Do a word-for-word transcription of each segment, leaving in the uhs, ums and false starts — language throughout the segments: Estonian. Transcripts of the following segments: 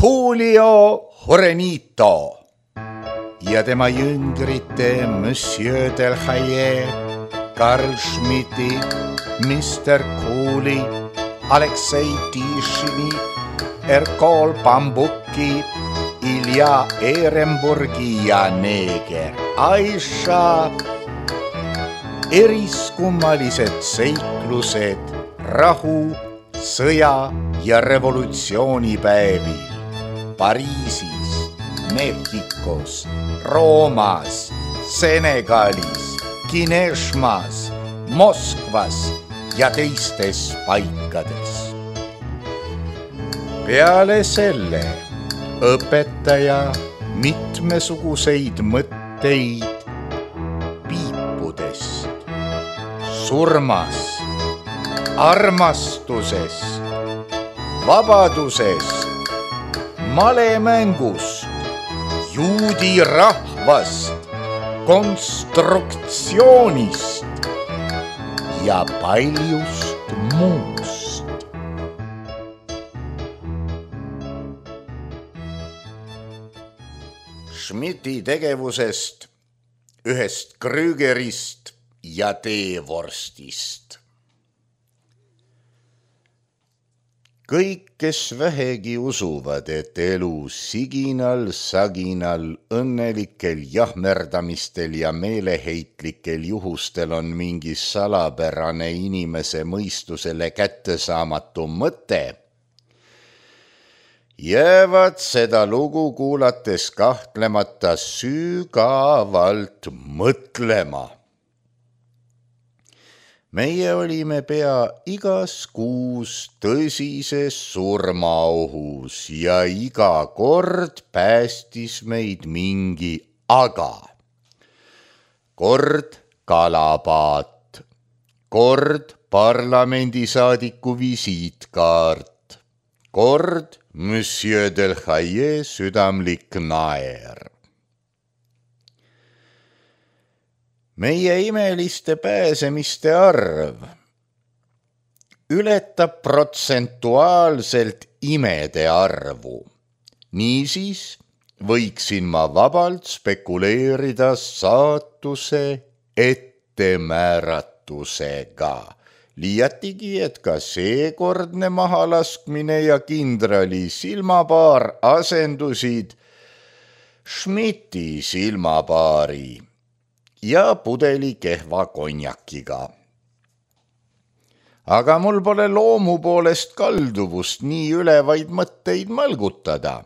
Julio Jurenito ja tema jüngrite Monsieur Delhaye, Karl Schmidti, mister Kooli, Aleksei Tišini, Erkol Bambuki, Ilja Ehrenburgi ja neeger Aisha. Eriskummalised seiklused rahu, sõja ja revolutsioonipäevil Pariisis, Mehhikos, Roomas, Senegalis, Kineshmas, Moskvas ja teistes paikades. Peale selle õpetaja mitmesuguseid mõtteid piipudest, surmast, armastusest, vabadusest, malemängust, juudi rahvast, konstruktsioonist ja paljust muust. Schmidti tegevusest, ühest Krügerist ja teevorstist. Kõik, kes vähegi usuvad, et elu siginal, saginal, õnnelikel jahmerdamistel ja meeleheitlikel juhustel on mingi salapärane inimese mõistusele kättesaamatu mõte, jäävad seda lugu kuulates kahtlemata sügavalt mõtlema. Meie olime pea igas kuus tõsises surmaohus ja iga kord päästis meid mingi aga. Kord kalapaat, kord parlamendisaadiku visiitkaart, kord Monsieur Delhaye südamlik naer. Meie imeliste pääsemiste arv ületab protsentuaalselt imede arvu. Niisiis võiksin ma vabalt spekuleerida saatuse ettemääratusega. Liiatigi, et ka seekordne mahalaskmine ja kindrali silmapaar asendusid Schmidti silmapaari ja pudeli kehva konjakiga. Aga mul pole loomu poolest kalduvust nii ülevaid mõtteid mõlgutada.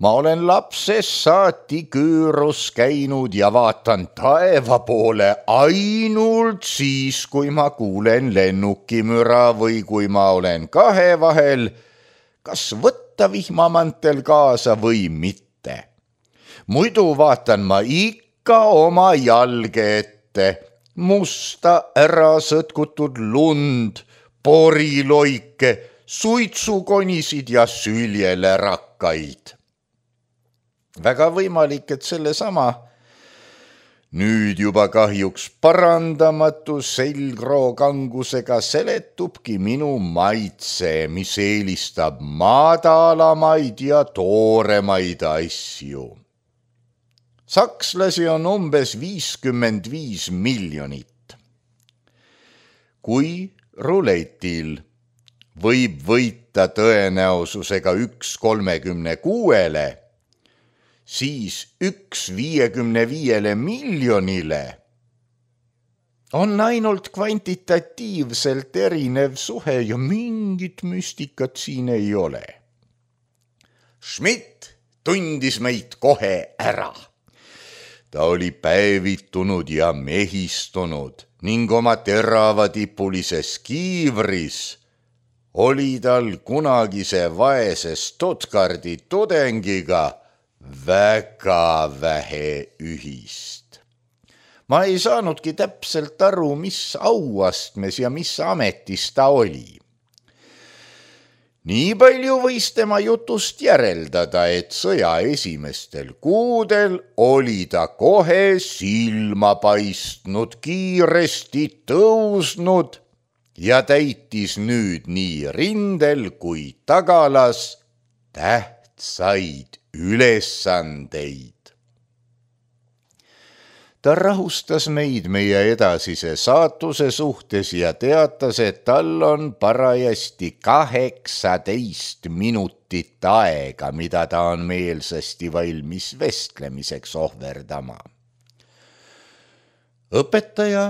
Ma olen lapsest saati küürus käinud ja vaatan taeva poole ainult siis, kui ma kuulen lennukimüra või kui ma olen kahe vahel, kas võtta vihmamantel kaasa või mitte. Muidu vaatan ma ikka ka oma jalge ette, musta ära sõtkutud lund, poriloike, suitsukonisid ja süljelärakkaid. Väga võimalik, et selle sama nüüd juba kahjuks parandamatu selgrookangusega seletubki minu maitse, mis eelistab madalamaid ja tooremaid asju. Sakslasi on umbes viiskümmend viis miljonit. Kui ruletil võib võita tõenäosusega üks kolmekümne kuuele, siis üks viiekümne viiele miljonile on ainult kvantitatiivselt erinev suhe ja mingit müstikat siin ei ole. Schmidt tundis meid kohe ära. Ta oli päevitunud ja mehistunud ning oma teravatipulises kiivris oli tal kunagise vaese Stuttgardi tudengiga väga vähe ühist. Ma ei saanudki täpselt aru, mis auastmes ja mis ametis ta oli. Nii palju võis tema jutust järeldada, et sõja esimestel kuudel oli ta kohe silma paistnud, kiiresti tõusnud ja täitis nüüd nii rindel kui tagalas tähtsat said ülesandeid. Ta rahustas meid meie edasise saatuse suhtes ja teatas, et tal on parajasti kaheksateist minutit aega, mida ta on meelsasti valmis vestlemiseks ohverdama. Õpetaja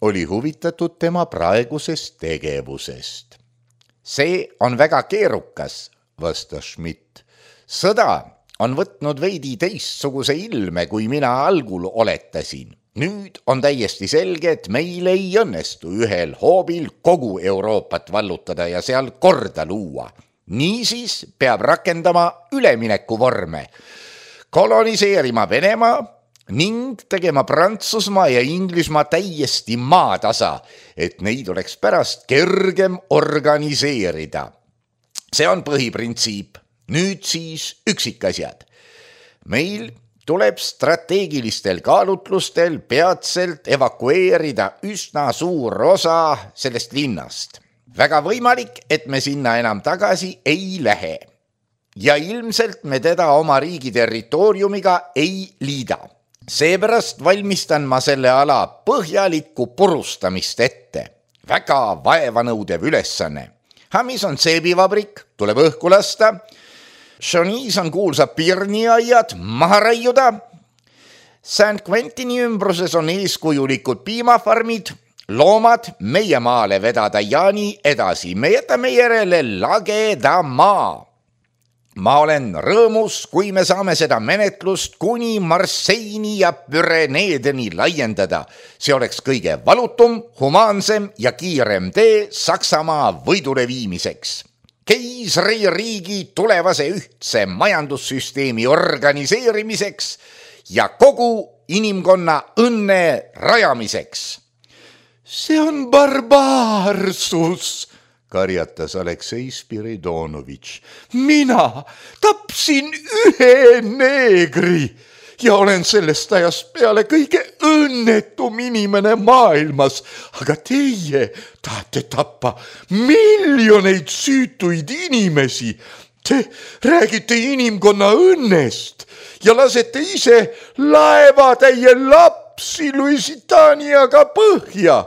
oli huvitatud tema praegusest tegevusest. See on väga keerukas, vastas Schmidt. Sõda on võtnud veidi teistsuguse ilme, kui mina algul oletasin. Nüüd on täiesti selge, et meil ei õnnestu ühel hoobil kogu Euroopat vallutada ja seal korda luua. Niisiis peab rakendama ülemineku vorme, koloniseerima Venemaa ning tegema Prantsusmaa ja Inglismaa täiesti maatasa, et neid oleks pärast kergem organiseerida. See on põhiprintsiip. Nüüd siis üksikasjad. Meil tuleb strateegilistel kaalutlustel peatselt evakueerida üsna suur osa sellest linnast. Väga võimalik, et me sinna enam tagasi ei lähe. Ja ilmselt me teda oma riigi territooriumiga ei liida. Seepärast valmistan ma selle ala põhjalikku purustamist ette. Väga vaevanõudev ülesanne. Hamis on seebivabrik, tuleb õhku lasta. Šonis on kuulsa pirniaiad maha raiuda. Saint Quentini ümbruses on eeskujulikud piimafarmid, loomad meie maale vedada ja nii edasi. Me jätame järele lageda maa. Ma olen rõõmus, kui me saame seda menetlust kuni Marseini ja Püreneedeni laiendada. See oleks kõige valutum, humaansem ja kiirem tee Saksamaa võidule viimiseks. Keisri riigi tulevase ühtse majandussüsteemi organiseerimiseks ja kogu inimkonna õnne rajamiseks. See on barbaarsus, karjatas Aleksei Spiridonovitš. Mina tapsin ühe neegri ja olen sellest ajast peale kõige õnnetum inimene maailmas, aga teie tahate tappa miljoneid süütuid inimesi. Te räägite inimkonna õnnest ja lasete ise laevatäie lapsi Lusitaaniaga põhja.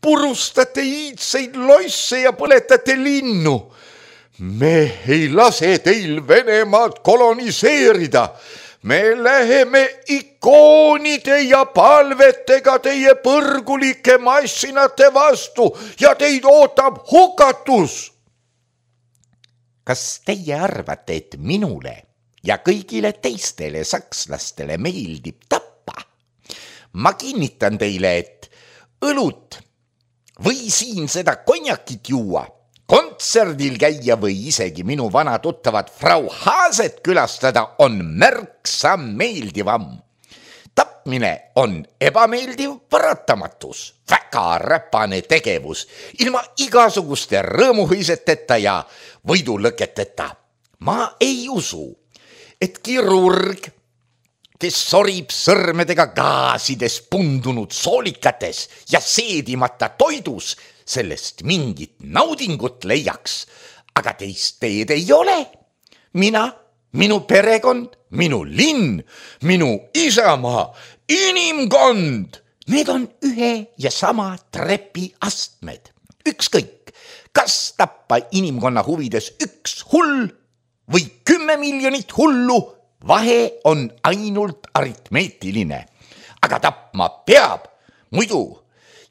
Purustate iidseid loisse ja põletate linnu. Me ei lase teil Venemaad koloniseerida. Me läheme ikoonide ja palvetega teie põrgulike massinate vastu ja teid ootab hukatus. Kas teie arvate, et minule ja kõigile teistele sakslastele meeldib tappa? Ma kinnitan teile, et õlut või siin seda konjakit juua, kontserdil käia või isegi minu vana tuttavat Frau Haaset külastada on märksa meeldivam. Tapmine on ebameeldiv paratamatus, väga räpane tegevus, ilma igasuguste rõõmuhõiseteta ja võidulõketeta. Ma ei usu, et kirurg, kes sorib sõrmedega gaasides pundunud soolikates ja seedimata toidus, sellest mingit naudingut leiaks, aga teist teed ei ole. Mina, minu perekond, minu linn, minu isamaa, inimkond, need on ühe ja sama trepi astmed. Ükskõik, kas tappa inimkonna huvides üks hull või kümme miljonit hullu, vahe on ainult aritmeetiline, aga tapma peab, muidu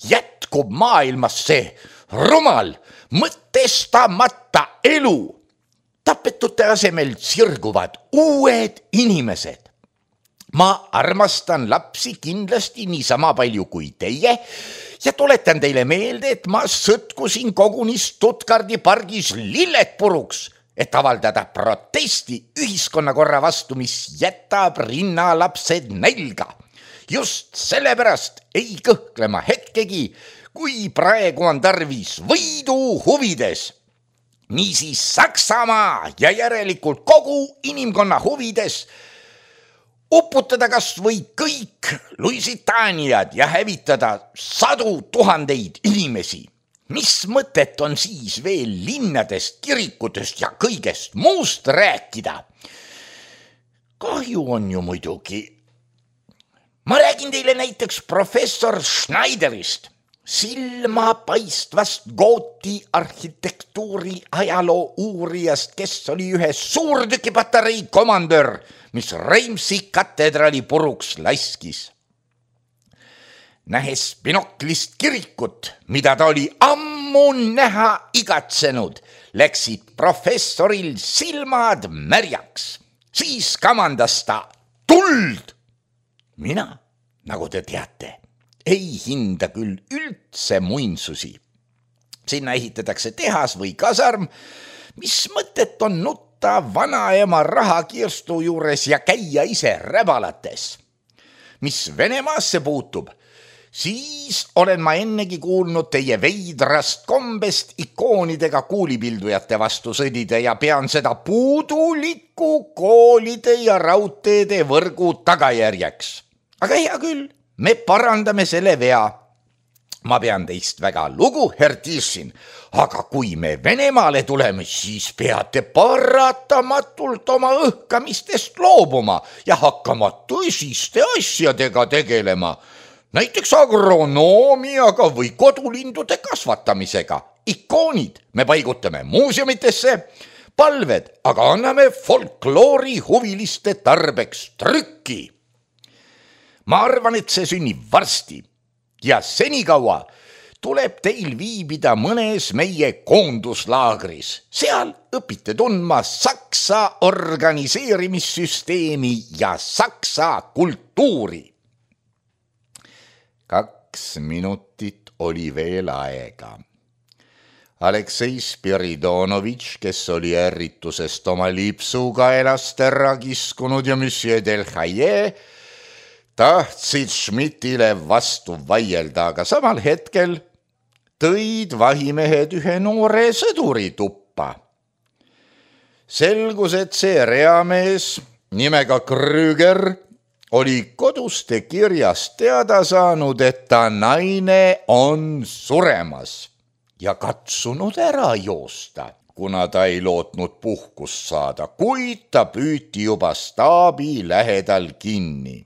jätkub maailmas see rumal, mõtestamata elu. Tapetute asemel sirguvad uued inimesed. Ma armastan lapsi kindlasti niisama palju kui teie ja tuletan teile meelde, et ma sõtkusin koguni Stuttgardi pargis lilled puruks, et avaldada protesti ühiskonnakorra vastu, mis jätab rinnalapsed nälga. Just sellepärast ei kõhklema hetkegi, kui praegu on tarvis võidu huvides. Niisiis Saksamaa ja järelikult kogu inimkonna huvides uputada kas või kõik Lusitaaniad ja hävitada sadu tuhandeid inimesi. mis mõtet on siis veel linnadest, kirikutest ja kõigest muust rääkida? Kahju on ju muidugi. Ma räägin teile näiteks professor Schneiderist, silmapaistvast gooti arhitektuuri ajaloo uurijast, kes oli ühe suurtükipatarei komandör, mis Reimsi katedrali puruks laskis. Nähes binoklist kirikut, mida ta oli ammu näha igatsenud, läksid professoril silmad märjaks. Siis kamandas ta tuld. Mina, nagu te teate, ei hinda küll üldse muinsusi. Sinna ehitatakse tehas või kasarm, mis mõtet on nutta vanaema rahakirstu juures ja käia ise räbalates. Mis Venemaasse puutub, siis olen ma ennegi kuulnud teie veidrast kombest ikoonidega kuulipildujate vastu sõdida ja pean seda puuduliku koolide ja raudteede võrgu tagajärjeks. Aga hea küll, me parandame selle vea. Ma pean teist väga lugu, Herr Tišin, aga kui me Venemaale tuleme, siis peate paratamatult oma õhkamistest loobuma ja hakkama tõsiste asjadega tegelema. Näiteks agronoomiaga või kodulindude kasvatamisega. Ikoonid me paigutame muuseumitesse, palved aga anname folkloori huviliste tarbeks trükki. Ma arvan, et see sünnib varsti ja senikaua tuleb teil viibida mõnes meie koonduslaagris. Seal õpite tundma Saksa organiseerimissüsteemi ja Saksa kultuuri. Kaks minutit oli veel aega. Aleksei Spiridonovitš, kes oli ärritusest oma lipsuga elast ära kiskunud ja Monsieur Delhaye, tahtsid Schmidtile vastu vaielda, aga samal hetkel tõid vahimehed ühe noore sõduri tuppa. Selgus, et see reamees nimega Krüger oli koduste kirjast teada saanud, et ta naine on suremas ja katsunud ära joosta, kuna ta ei lootnud puhkust saada, kuid ta püüti juba staabi lähedal kinni.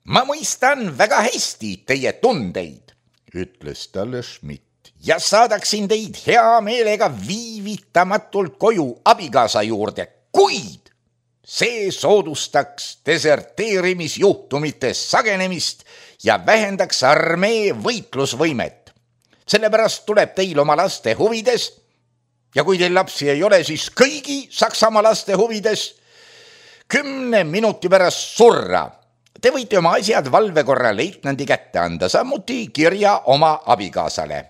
Ma mõistan väga hästi teie tundeid, ütles talle Schmidt, ja saadaksin teid hea meelega viivitamatult koju abikaasa juurde, kuid see soodustaks deserteerimisjuhtumite sagenemist ja vähendaks armee võitlusvõimet. Sellepärast tuleb teil oma laste huvides, ja kui teil lapsi ei ole, siis kõigi Saksamaa laste huvides kümne minuti pärast surra. Te võite oma asjad valvekorra leitnandi kätte anda, samuti kirja oma abikaasale.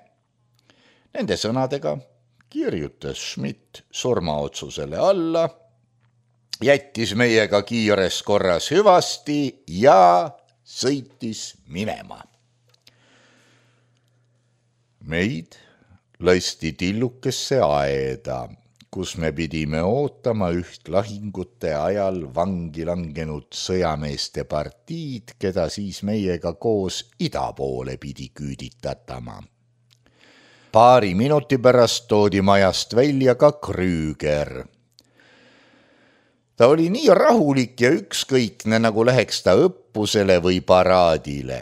Nende sõnadega kirjutas Schmidt surmaotsusele alla, jättis meiega kiires korras hüvasti ja sõitis minema. Meid lasti tillukesse aeda, kus me pidime ootama üht lahingute ajal vangi langenud sõjameeste partiid, keda siis meiega koos ida poole pidi küüditatama. Paari minuti pärast toodi majast välja ka Krüger. Ta oli nii rahulik ja ükskõikne, nagu läheks ta õppusele või paraadile.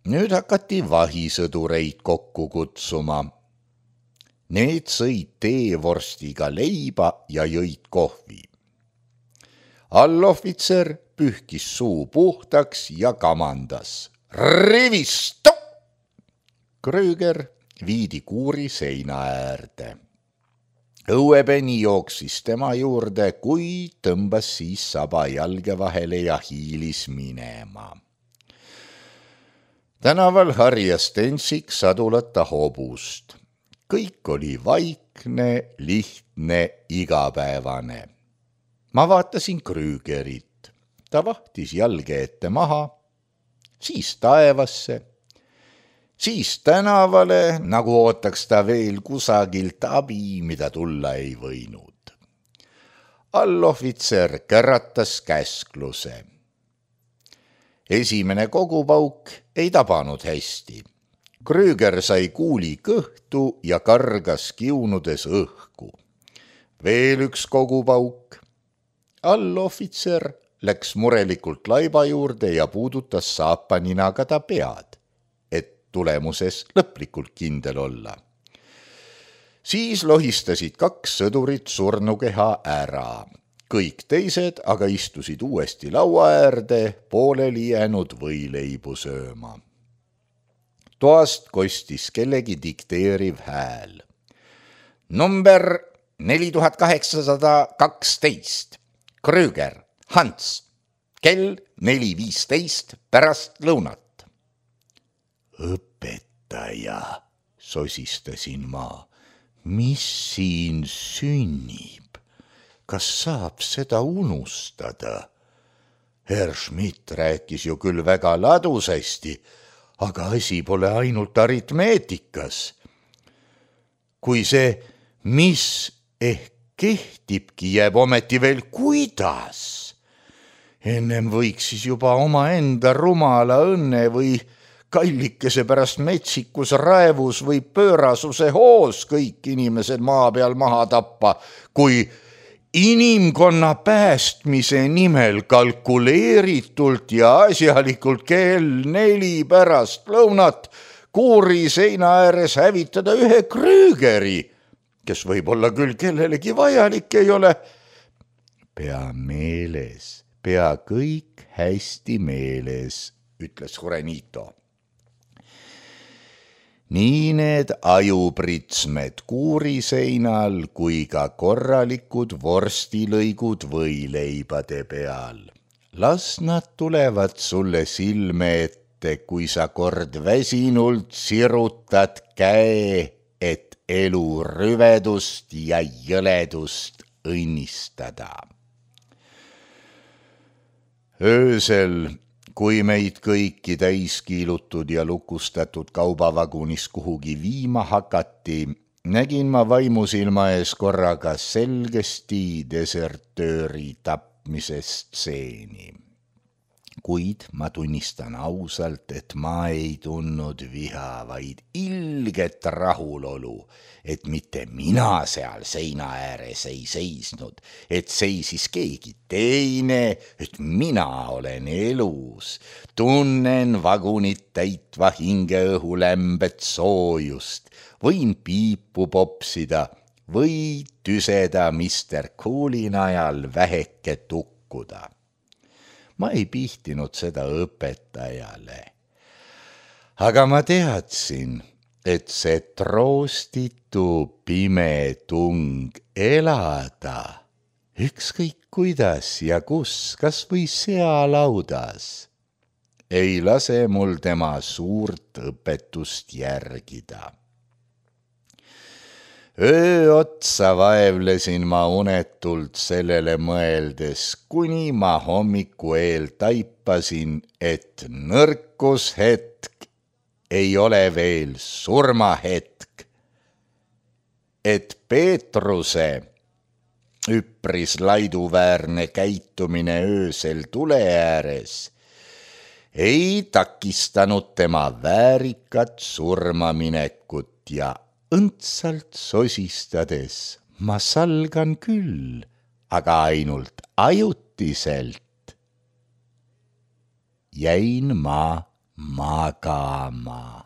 Nüüd hakati vahisõdureid kokku kutsuma. Need sõid teevorstiga leiba ja jõid kohvi. Allohvitser pühkis suu puhtaks ja kamandas. Rivisto! Krüger viidi kuuri seina äärde. Õuepeni jooksis tema juurde, kui tõmbas siis saba jalge vahele ja hiilis minema. Tänaval harjas tentsik sadulata hobust. Kõik oli vaikne, lihtne, igapäevane. Ma vaatasin Krügerit. Ta vahtis jalge ette maha, siis taevasse, siis tänavale, nagu ootaks ta veel kusagilt abi, mida tulla ei võinud. Allohvitser käratas käskluse. Esimene kogupauk ei tabanud hästi. Krüger sai kuuli kõhtu ja kargas kiunudes õhku. Veel üks kogupauk. Allohvitser läks murelikult laiba juurde ja puudutas saapaninaga ta pead, et tulemuses lõplikult kindel olla. Siis lohistasid kaks sõdurit surnukeha ära. Kõik teised aga istusid uuesti laua äärde pooleli jäänud võileibu sööma. Toast kostis kellegi dikteeriv hääl. Number neli tuhat kaheksasada kaksteist. Krüger, Hans, kell neli viisteist pärast lõunat. Õpetaja, sosistasin ma, mis siin sünnib? Kas saab seda unustada? Herr Schmidt rääkis ju küll väga ladusasti, aga asi pole ainult aritmeetikas. Kui see, mis ehk kehtibki, jääb ometi veel kuidas. Ennem võiks siis juba oma enda rumala õnne või kallikese pärast metsikus raevus või pöörasuse hoos kõik inimesed maa peal maha tappa, kui inimkonna päästmise nimel kalkuleeritult ja asjalikult kell neli pärast lõunat kuuri seina ääres hävitada ühe Krügeri, kes võib-olla küll kellelegi vajalik ei ole. Pea meeles, pea kõik hästi meeles, ütles Jurenito. Nii need ajupritsmed kuuriseinal kui ka korralikud vorstilõigud võileibade peal. Las nad tulevad sulle silme ette, kui sa kord väsinult sirutad käe, et elu rüvedust ja jõledust õnnistada. Öösel, kui meid kõiki täiskiilutud ja lukustatud kaubavagunis kuhugi viima hakati, nägin ma vaimusilma ees korraga selgesti desertööri tapmise stseeni. Kuid ma tunnistan ausalt, et ma ei tundnud viha, vaid ilget rahulolu, et mitte mina seal seina ääres ei seisnud, et seisis keegi teine, et mina olen elus, tunnen vagunit täitva hingeõhu lämbet soojust, võin piipu popsida või tüseda mister Coolin ajal väheke tukkuda. Ma ei pihtinud seda õpetajale. Aga ma teadsin, et see troostitu pime tung elada, ükskõik kuidas ja kus, kas või sealaudas, ei lase mul tema suurt õpetust järgida. Öö otsa vaevlesin ma unetult sellele mõeldes, kuni ma hommiku eel taipasin, et nõrkushetk ei ole veel surmahetk. Et Peetruse üpris laiduväärne käitumine öösel tule ääres ei takistanud tema väärikat surmaminekut ja õndsalt sosistades ma salgan küll, aga ainult ajutiselt. Jäin ma magama.